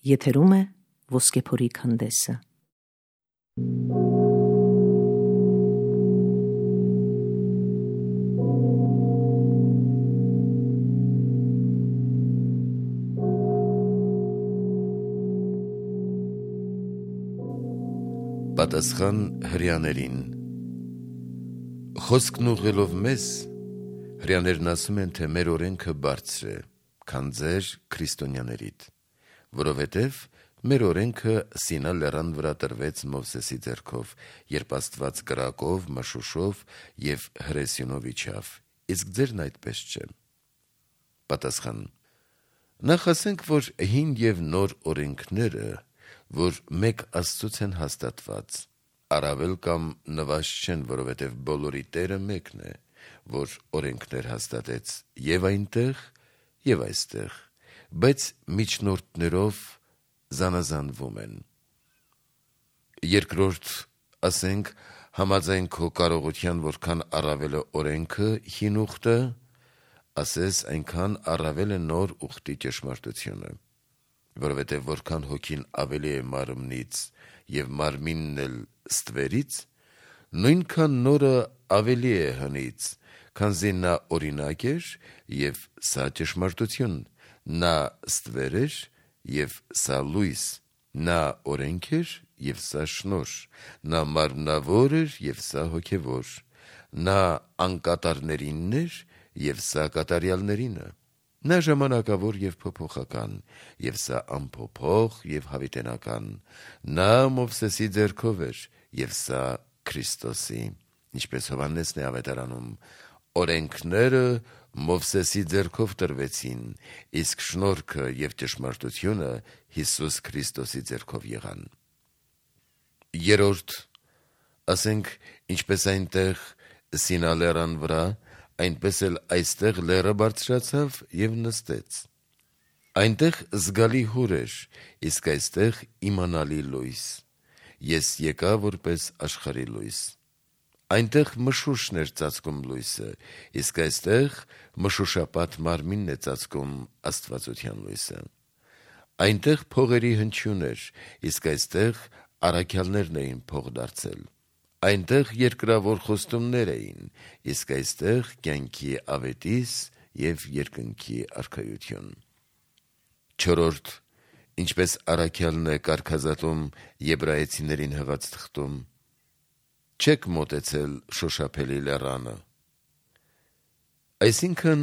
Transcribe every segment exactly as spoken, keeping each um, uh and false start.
Եթերում է Ոսկեփորի քանդեսը։ Պատասխան հրեաներին։ Խոսքն ուղղելով մեզ, հրեաներն ասում են, թե մեր օրենքը բարձր է, քան ձեր քրիստոնյաներիդ, որովհետև մեր օրենքը Սինա լեռան վրա տրվեց Մովսեսի ձեռքով, երբ Աստված կրակով, մշուշով և հրեսյունով իջավ, իսկ ձերն այդպես չէ։ Պատասխան. Նախ ասենք, որ հին և նոր օրենքները, որ մեկ Աստծուց են հաստատված, առավել կամ նվազ չեն, որովհետև բոլորի Տերը մեկն է, որ օրենքներ հաստատեց և այնտեղ, և այստեղ, բայց միջնորդներով զանազանվում են։ Երկրորդ, ասենք, համաձայն քո կարողության, որքան առավել է օրենքը, հին ուխտը, ասես այնքան առավել է նոր ուխտի ճշմարտությունը, որովհետև որքան հոգին ավելի է մարմնից և մարմինն էլ ստվերից, նույնքան նորը ավելի է հնից, քանզի նա օրինակ էր և սա ճշմարտություն, նա ստվեր էր և սա լույս, նա օրենք էր և սա շնորհ, նա մարմնավոր էր և սա հոգևոր, նա անկատարներինն էր և սա կատարյալներինը, նա ժամանակավոր և փոփոխական, և սա անփոփոխ և հավիտենական, նա Մովսեսի ձեռքով էր, և սա Քրիստոսի, ինչպես Հովհաննեսն է ավետարանում. օրենքները Մովսեսի ձեռքով տրվեցին, իսկ շնորհքը և ճշմարտությունը Հիսուս Քրիստոսի ձեռքով եղան։ Երրորդ, ասենք, ինչպես այնտեղ Սինա լեռան վրա, այնպես էլ այստեղ լեռը բարձրացավ և նստեց։ Այնտեղ զգալի հուր էր, իսկ այստեղ իմանալի լույս, ես եկա որպես աշխարհի լույս։ Այնտեղ մշուշն էր ծածկում լույսը, իսկ այստեղ մշուշապատ մարմինն է ծածկում աստվածության լույսը։ Այնտեղ փողերի հնչյուն էր, իսկ այստեղ առաքյալներն էին փող դարձել։ Այնտեղ երկրավոր խոստումներ էին, իսկ այստեղ կյանքի ավետիս և երկնքի արքայություն։ Չորրորդ, ինչպես առաքյալն է կարգազատում Եբրայեցիներին հղած թղթում. չեք մոտեցել շոշափելի լեռանը։ Այսինքն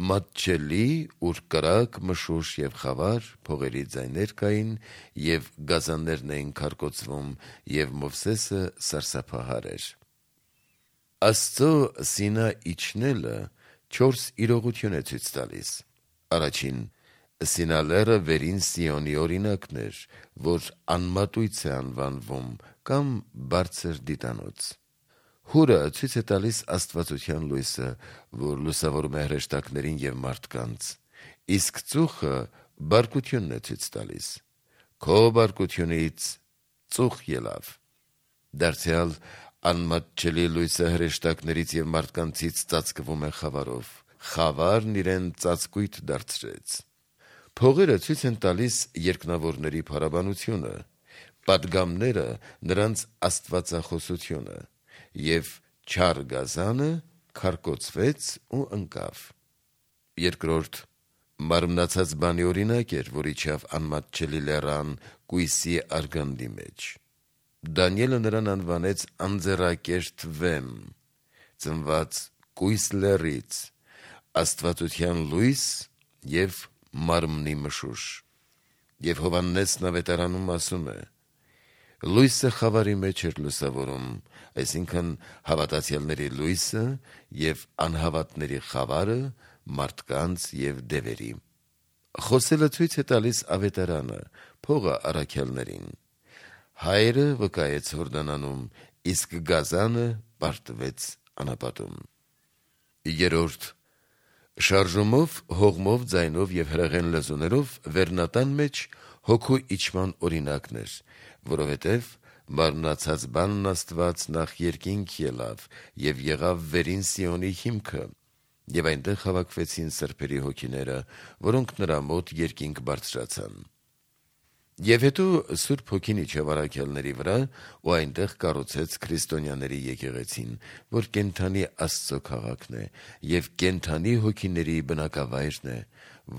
մատչելի, ուր կրակ, մշուշ և խավար, փողերի ձայներ կային և գազաններն էին քարկոծվում, և Մովսեսը սարսափահար էր։ Աստծո Սինա իջնելը չորս իրողություն է ցույց տալիս։ Առաջին, Սինա լեռը վերին Սիոնի օրինակն էր, որ անմատույց է անվանվում կամ բարձր դիտանոց։ Հուրը ցույց է տալիս աստվածության լույսը, որ լուսավորում է հրեշտակներին և մարդկանց, իսկ ծուխը բարկությունն է ցույց տալիս։ Քո բարկությունից ծուխ ելավ։ Դարձյալ անմատչելի լույսը հրեշտակներից և մարդկանցից ծածկվում է խավարով, խավարն իրեն ծածկույթ դարձրեց։ Փողերը ցույց են տալիս երկնավորների փառաբանությունը, պատգամները նրանց աստվածախոսությունը, և չար գազանը քարկոծվեց ու ընկավ։ Երկրորդ, մարմնացած բանի օրինակ էր, որ իջավ անմատչելի լեռան կույսի արգանդի մեջ։ Դանիելը նրան անվանեց անձեռակերտ վեմ, ծնված կույս լեռից, աստվածության լույս և մարմնի մշուշ։ Եվ Հովհաննեսն ավետարանում ասում է. լույսը խավարի մեջ էր լուսավորում, այսինքն հավատացյալների լույսը և անհավատների խավարը մարդկանց և դևերի։ Խոսելը ցույց է տալիս ավետարանը, փողը առաքյալներին։ Հայրը վկայեց Հորդանանում, իսկ գազանը պարտվեց անապատում։ Երրորդ, շարժումով, հողմով, ձայնով և հրեղեն լեզուներով վերնատան մեջ հոգու իջման օրինակն էր, որովհետև մարմնացած բանն Աստված նախ երկինք ելավ և եղավ վերին Սիոնի հիմքը, և այնտեղ հավաքվեցին սրբերի հոգիները, որոնք նրա մոտ երկինք բարձրացան։ Եվ հետո Սուրբ Հոգին իջավ առաքյալների վրա ու այնտեղ կառուցեց քրիստոնյաների եկեղեցին, որ կենդանի Աստծո քաղաքն է եւ կենդանի հոգիների բնակավայրն է,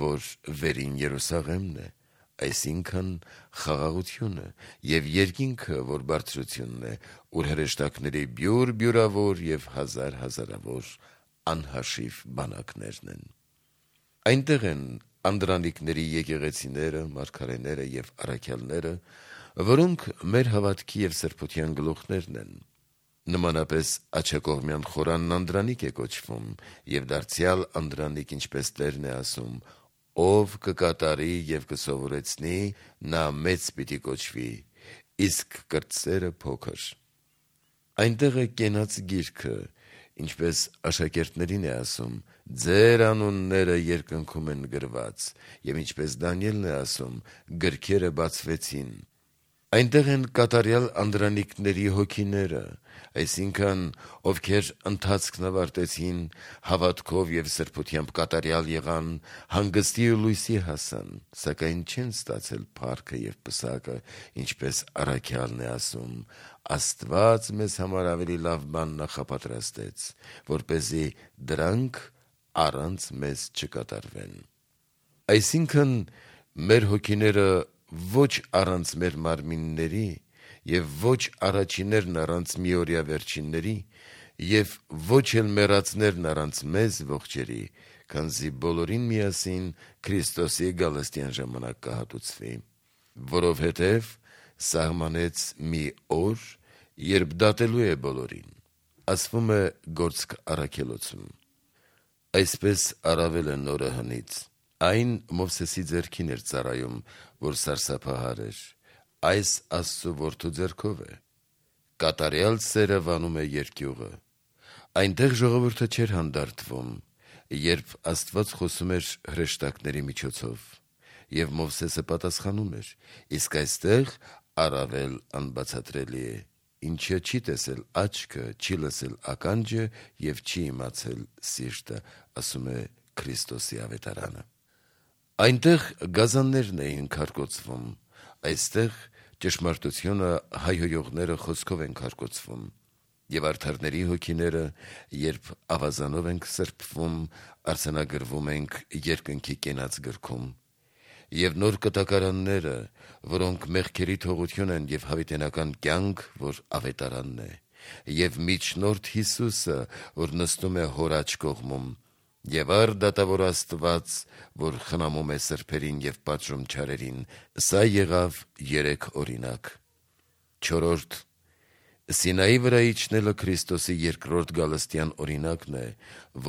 որ վերին Երուսաղեմն է, այսինքն խաղաղությունը եւ երկինքը, որ բարձրությունն է, ուր հրեշտակների բյուր բյուրավոր եւ հազար հազարավոր անհաշիվ բանակներն են։ Այնտեղ են անդրանիկների եկեղեցիները, մարգարեները եւ առաքյալները, որոնք մեր հավատքի եւ սրբության գլուխներն են։ Նմանապես աջակողմյան խորանն անդրանիկ է կոչվում եւ դարձյալ անդրանիկ, ինչպես Տերն է ասում, ով կկատարի եւ կսովորեցնի, նա մեծ պիտի կոչվի, իսկ կրտսերը փոքր։ Այնտեղ է կենաց գիրքը, ինչպես աշակերտներին է ասում, ձեր անունները երկնքում են գրված, եւ ինչպես Դանիելն է ասում, գրքերը բացվեցին։ Այնտեղ են կատարյալ անդրանիկների հոգիները, այսինքն ովքեր ընթացքն ավարտեցին, հավատքով եւ սրբությամբ կատարյալ եղան, հանգստի ու լույսի հասան, սակայն չեն ստացել փառքը եւ պսակը, ինչպես առաքյալն է ասում, Աստված մեզ համար ավելի լավ բան նախապատրաստեց, որպեսզի դրանք առանց մեզ չկատարվեն։ Այսինքն մեր հոգիները ոչ առանց մեր մարմինների եւ ոչ առաջիներն առանց միօրյա վերջինների եւ ոչ էլ մեռածներն առանց մեզ ողջերի, քանզի բոլորին միասին Քրիստոսի գալստյան ժամանակ կհատուցվի, որովհետեւ սահմանեց մի օր, երբ դատելու է բոլորին, ասվում է Գործք առաքելոցում։ Այսպես առավել է նորը հնից, այն Մովսեսի ձեռքին էր ծառայում, որ սարսափահար էր, այս Աստծո որդու ձեռքով է, կատարյալ սերը վանում է երկյուղը, այնտեղ ժողովուրդը չէր հանդարտվում, երբ Աստված խոսում էր հրեշտակների միջոցով, եւ Մովսեսը պատասխանում էր, իսկ այստեղ առավել անբացատրելի է, ինչը չի տեսել աչքը, չի լսել ականջը եւ չի իմացել սիրտը, ասում է Քրիստոսի ավետարանը։ Այնտեղ գազաններն էին քարկոծվում, այստեղ ճշմարտությունը հայհոյողները խոսքով են քարկոծվում, եւ արդարների հոգիները, երբ ավազանով ենք սրբվում, արձանագրվում ենք երկնքի կենաց գրքում, եւ նոր կտակարանները, որոնք մեղքերի թողություն են եւ հավիտենական կյանք, որ ավետարանն է, եւ միջնորդ Հիսուսը, որ նստում է Հոր աջ կողմում, եւ առ դատավոր Աստված, որ խնամում է սրբերին եւ պատժում չարերին, սա եղավ երեք օրինակ։ Չորրորդ Սինայի վրա իջնելը Քրիստոսի երկրորդ գալստյան օրինակն է,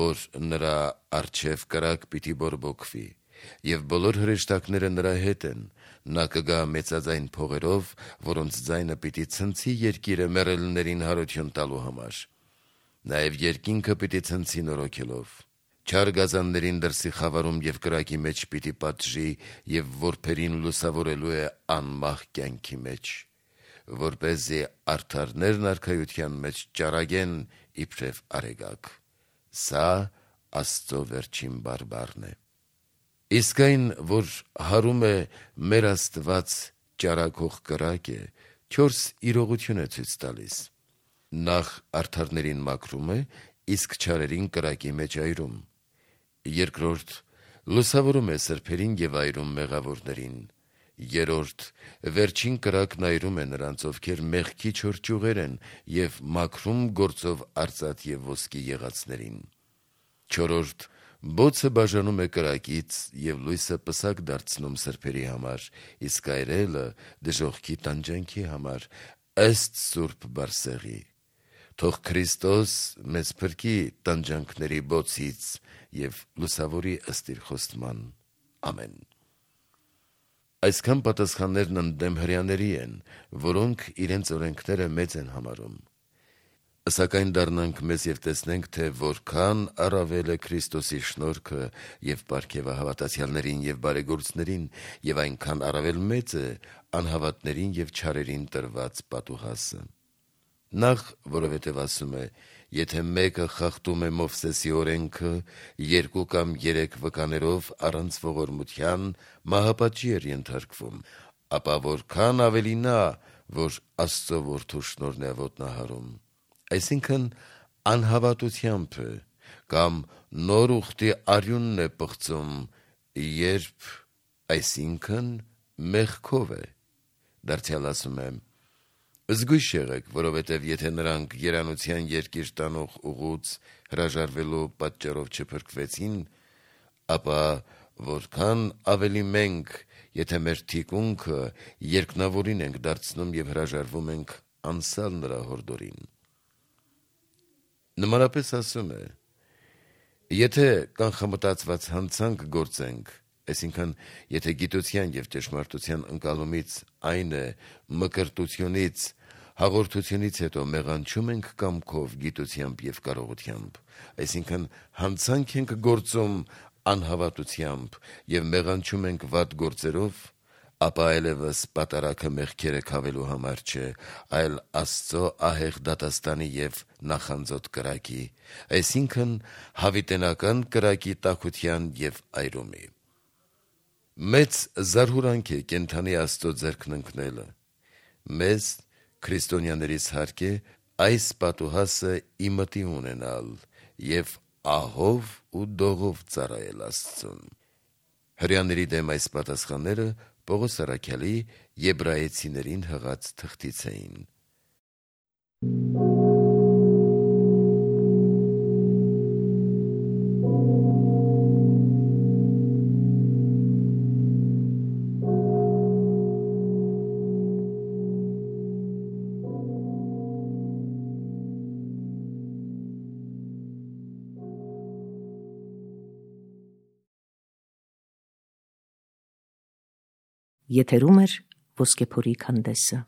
որ նրա առջև կրակ պիտի բորբոքվի, եւ բոլոր հրեշտակները նրա հետ են, նա կգա մեծաձայն փողերով, որոնց ձայնը պիտի ցնցի երկիրը մեռելներին հարություն տալու համար, նաեւ երկինքը պիտի ցնցի նորոգելով, չար գազաններին դրսի խավարում եւ կրակի մեջ պիտի պատժի եւ որբերին լուսավորելու է անմահ կյանքի մեջ, որպեսզի արդարներն արքայության մեջ ճառագեն իբրև արեգակ։ Սա Աստծո վերջին բարբառն է։ Իսկ այն, որ հարում է մեր Աստված ճառագող կրակ է, չորս իրողություն է ցույց տալիս։ Նախ արդարներին մաքրում է, իսկ չարերին կրակի մեջ այրում։ Երկրորդ լուսավորում է սրբերին եւ այրում մեղավորներին։ Երորդ վերջին կրակն այրում է նրանց, ովքեր մեղքի չոր ճյուղեր են եւ մաքրում գործով արծաթ եւ ոսկի եղածներին։ Չորրորդ բոցը բաժանում է կրակից եւ լույսը պսակ դարձնում սրբերի համար, իսկ այրելը դժոխքի տանջանքի համար, ըստ Սուրբ Բարսեղի։ Թող Քրիստոս մեզ փրկի տանջանքների բոցից եւ լուսավորի ըստ իր խոստման։ Ամեն։ Այսքան պատասխաններն ընդդեմ հրեաների են, որոնք իրենց օրենքները մեծ են համարում։ Սակայն դառնանք մեզ եւ տեսնենք, թե որքան առավել է Քրիստոսի շնորհքը եւ պարգևը հավատացյալներին եւ բարեգործներին, եւ այնքան առավել մեծ է անհավատներին եւ չարերին տրված պատուհասը։ Նախ, որովհետև ասում է, եթե մեկը խախտում է Մովսեսի օրենքը երկու կամ երեք վկաներով առանց ողորմության, մահապատժի էր ենթարկվում, ապա որքան ավելի նա, որ Աստծո որդու շնորհն է ոտնահարում։ Այսինքն անհավատությամբ է, կամ նոր ուխտի արյունն է պղծում, երբ, այսինքն մեղքով է։ Դարձյալ ասում եմ. զգույշ եղեք, որովհետև եթե նրանք երանության երկիր տանող ուղուց հրաժարվելու պատճառով չփրկվեցին, ապա որքան ավելի մենք, եթե մեր թիկունքը երկնավորին ենք դարձնում եւ հրաժարվում ենք անսալ նրա հորդորին։ Նմանապես ասում է. եթե կանխամտածված հանցանք գործենք, այսինքն եթե գիտության եւ ճշմարտության ընկալումից, այն է մկրտությունից, հաղորդությունից հետո մեղանչում ենք կամքով, գիտությամբ եւ կարողությամբ, այսինքն հանցանք ենք գործում անհավատությամբ եւ մեղանչում ենք վատ գործերով, ապա այլևս պատարագը մեղքերը քավելու համար չէ, այլ Աստծո ահեղ դատաստանի եւ նախանձոտ կրակի, այսինքն հավիտենական կրակի տաքության եւ այրումի։ Մեծ զարհուրանք է կենդանի Աստծո ձեռքն ընկնելը։ Մեզ քրիստոնյաներից հարկ է այս պատուհասը ի մտի ունենալ եւ ահով ու դողով ծառայել Աստծուն։ Հրեաների դեմ այս պատասխանները Պողոս առաքյալի Եբրայեցիներին հղած թղթից էին։ Եթերում է Ոսկեփորի քանդեսը։